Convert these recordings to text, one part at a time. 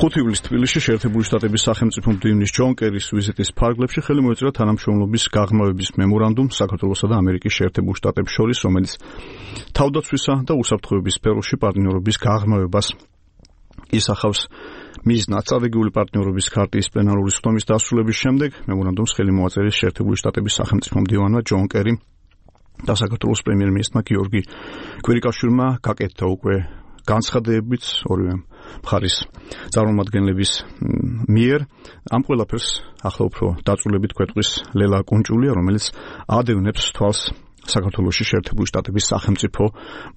5 ივლისს თბილისში შეერთებული შტატების სახელმწიფო მდივნის ჯონ კერის ვიზიტის ფარგლებში ხელი მოეწერა თანამშრომლობის გაღრმავების მემორანდუმს საქართველოსა და ამერიკის შეერთებულ შტატებს შორის, რომელიც თავდაცვისა და უსაფრთხოების სფეროში პარტნიორობის გაღრმავებას ისახავს. მიზნად სტრატეგიული პარტნიორობის ქარტიის პლენარული სხდომის დასრულების შემდეგ მემორანდუმს ხელი მოაწერეს შეერთებული შტატების სახელმწიფო მდივანმა ჯონ კერიმ და საქართველოს პრემიერ-მინისტრმა გიორგი კვირიკაშვილმა გაკეთდა უკვე განცხადებებით ორივე მხარის წარმომადგენლების მიერ. ამ ყველაფერს ახლა უფრო დაწვრილებით გვეტყვის ლელა კუნჭულია, რომელიც ადევნებს თვალს საქართველოში შეერთებული შტატების სახელმწიფო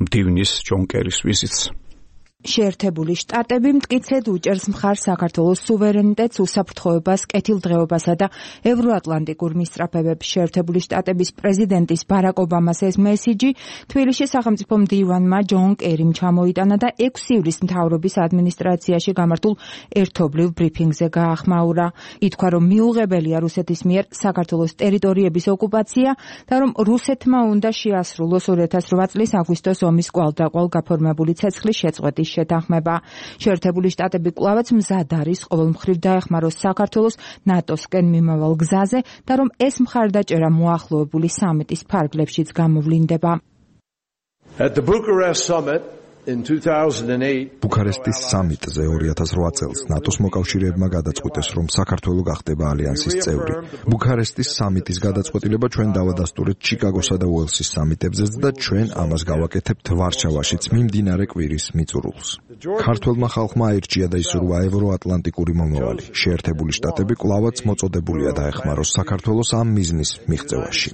მდივნის ჯონ კერის ვიზიტს. შეერთებული შტატები მტკიცედ უჭერს მხარს საქართველოს სუვერენიტეტს, უსაფრთხოებას, კეთილდღეობასა და ევროატლანტიკურ მისწრაფებებს. შეერთებული შტატების პრეზიდენტის ბარაკ ობამას ეს მესიჯი თბილისში სახელმწიფო მდივანმა ჯონ კერიმ ჩამოიტანა და 6 ივლისს მთავრობის ადმინისტრაციაში გამართულ ერთობლივ ბრიფინგზე გაახმაურა. ითქვა, რომ მიუღებელია რუსეთის მიერ საქართველოს ტერიტორიების ოკუპაცია და რომ რუსეთმა უნდა შეასრულოს 2008 წლის აგვისტოს ომის კვალდაკვალ გაფორმებული ცეცხლის შეწყვეტის შეთანხმება. შეერთებული შტატები კვლავაც მზად არის ყოველმხრივ დაეხმაროს საქართველოს ნატოსკენ მიმავალ გზაზე და რომ ეს მხარდაჭერა მოახლოებული სამიტის ფარგლებშიც გამოვლინდება. ბუქარესტის სამიტზე 2008 წელს ნატოს მოკავშირეებმა გადაწყვიტეს, რომ საქართველო გახდება ალიანსის წევრი. ბუქარესტის სამიტის გადაწყვეტილება ჩვენ დავადასტურეთ ჩიკაგოსა და უელსის სამიტებზეც და ჩვენ ამას გავაკეთებთ ვარშავაშიც მიმდინარე კვირის მიწურულს. ქართველმა ხალხმა აირჩია და ისურვა ევროატლანტიკური მომავალი. შეერთებული შტატები კვლავაც მოწოდებულია დაეხმაროს საქართველოს ამ მიზნის მიღწევაში.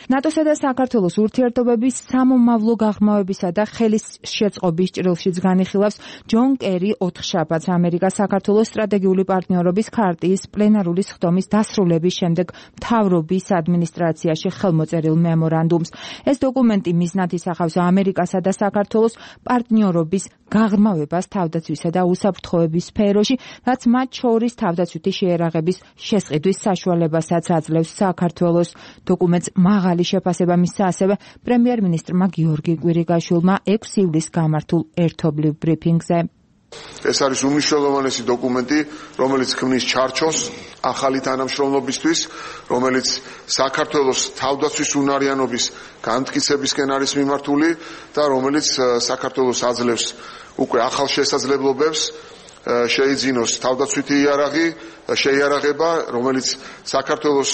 ნატოსა და საქართველოს ურთიერთობების სამომავლო გაღრმავებისა და ხელის შეწყობის ჭრილშიც განიხილავს ჯონ კერი ოთხშაბათს ამერიკას საქართველოს სტრატეგიული პარტნიორობის ქარტიის პლენარული სხდომის დასრულების შემდეგ მთავრობის ადმინისტრაციაში ხელმოწერილ მემორანდუმს. ეს დოკუმენტი მიზნად ისახავს ამერიკასა და საქართველოს პარტნიორობის გაღრმავებას თავდაცვისა და უსაფრთხოების სფეროში, რაც მათ შორის თავდაცვითი შეერაღების შესყიდვის საშუალებასაც აძლევს საქართველოს. დოკუმენტს მაღალი შეფასება მისცა ასევე პრემიერ-მინისტრმა გიორგი კვირიკაშვილმა 6 ივლისს გამართულ ერთობლივ ბრიფინგზე. ეს არის უმნიშვნელოვანესი დოკუმენტი, რომელიც ქმნის ჩარჩოს ახალი თანამშრომლობისთვის, რომელიც საქართველოს თავდაცვის უნარიანობის განმტკიცებისკენ არის მიმართული და რომელიც საქართველოს აძლევს უკვე ახალ შესაძლებლობებს შეიძინოს თავდაცვითი შეიარაღება, რომელიც საქართველოს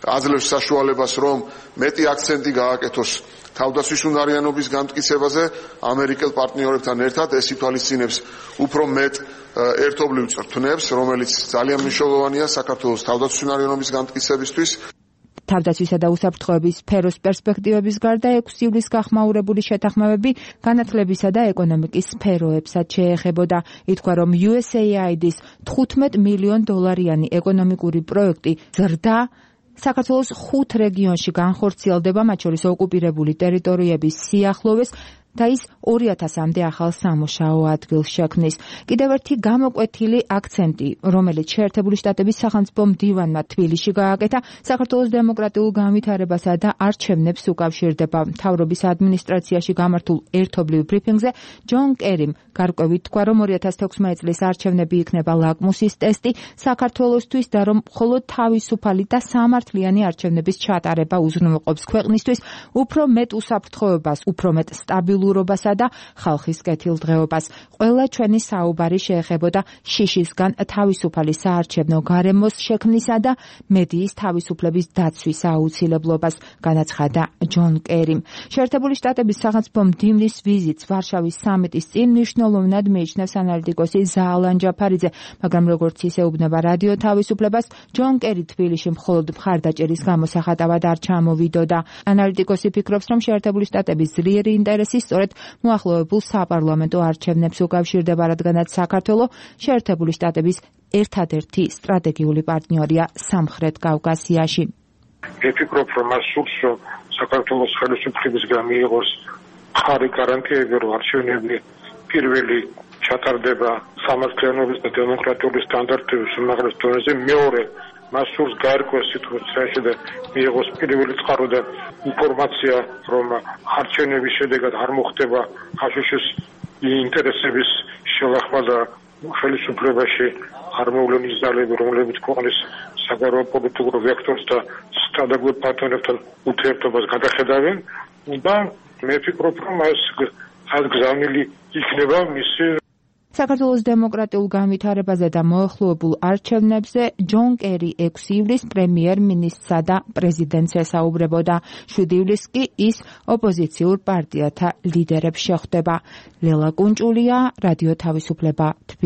აძლევს საშუალებას, რომ მეტი აქცენტი გააკეთოს თავდაცვის უნარიანობის განმტკიცებაზე ამერიკელ პარტნიორებთან ერთად. ეს ითვალისწინებს უფრო მეტ ერთობლივ წრთნებს, რომელიც ძალიან მნიშვნელოვანია საქართველოს თავდაცვის უნარიანობის განმტკიცებისთვის. თავდაცვისა და უსაფრთხოების სფეროს პერსპექტივების გარდა 6 ივლისს გახმაურებული შეთანხმებები განათლებისა და ეკონომიკის სფეროებსაც შეეხებოდა. ითქვა, რომ USAID-ის $15 მილიონ ეკონომიკური პროექტი ზრდა საქართველოს 5 რეგიონში განხორციელდება, მათ შორის ოკუპირებული ტერიტორიების სიახლოვეს და ის 2000-მდე ახალ სამუშაო ადგილს შექმნის. კიდევ ერთი გამოკვეთილი აქცენტი, რომელიც შეერთებული შტატების სახელმწიფო მდივანმა თბილისში გააკეთა, საქართველოს დემოკრატიულ განვითარებასა და არჩევნებს უკავშირდება. მთავრობის ადმინისტრაციაში გამართულ ერთობლივ ბრიფინგზე ჯონ კერიმ გარკვევით თქვა, რომ 2016 წლის არჩევნები იქნება ლაკმუსის ტესტი საქართველოსთვის და რომ მხოლოდ თავისუფალი და სამართლიანი არჩევნების ჩატარება უზრუნველყოფს ქვეყნისთვის უფრო მეტ უსაფრთხოებას, უფრო მეტ სტაბილურობასა და ხალხის კეთილდღეობას. ყველა ჩვენი საუბარი შეეხებოდა შიშისგან თავისუფალი საარჩევნო გარემოს შექმნისა და მედიის თავისუფლების დაცვის აუცილებლობას, განაცხადა ჯონ კერიმ. შეერთებული შტატების სახელმწიფო მდივნის ვიზიტს ვარშავის სამიტის წინ მნიშვნელოვნად მიიჩნევს ანალიტიკოსი ზაალან ჯაფარიძე, მაგრამ როგორც ისეუბნება რადიო თავისუფლებას, ჯონ კერი თბილისში მხოლოდ მხარდაჭერის გამოსახატავად არ ჩამოვიდოდა. ანალიტიკოსი ფიქრობს, რომ შეერთებული შტატების ძლიერი ინტერესი სწორედ მოახლოებულ საპარლამენტო არჩევნებს უკავშირდება, რადგანაც საქართველო შეერთებული შტატების ერთადერთი სტრატეგიული პარტნიორია სამხრეთ კავკასიაში. ვფიქრობ, რომ მას სურს, რომ საქართველოს ხელისუფლებისგან მიიღოს ხარი გარანტიები, რომ არჩევნები პირველი ჩატარდება სამართლიანობის და დემოკრატიული სტანდარტების უმაღლეს დონეზე, მეორე მას სურს გაერკვეს სიტუაციაში და მიიღოს პირველი წყარო და ინფორმაცია, რომ არჩევნების შედეგად არ მოხდება აშშ-ის ინტერესების შელახვა და ხელისუფლებაში არ მოვლენის ძალები, რომლებიც ქვეყნის საგარეო პოლიტიკურ ვექტორს და სტანდარტულ პარტნიორებთან ურთიერთობას გადახედავენ და მე ვფიქრობ, რომ ეს გზავნილი იქნება მისი საქართველოს დემოკრატიულ განვითარებაზე და მოახლოებულ არჩევნებზე ჯონ კერი 6 ივლისს პრემიერ-მინისტრსა და პრეზიდენტს ესაუბრებოდა. 7 ივლისს კი ის ოპოზიციურ პარტიათა ლიდერებს შეხვდება. ლელა კუნჭულია, რადიო თავისუფლება.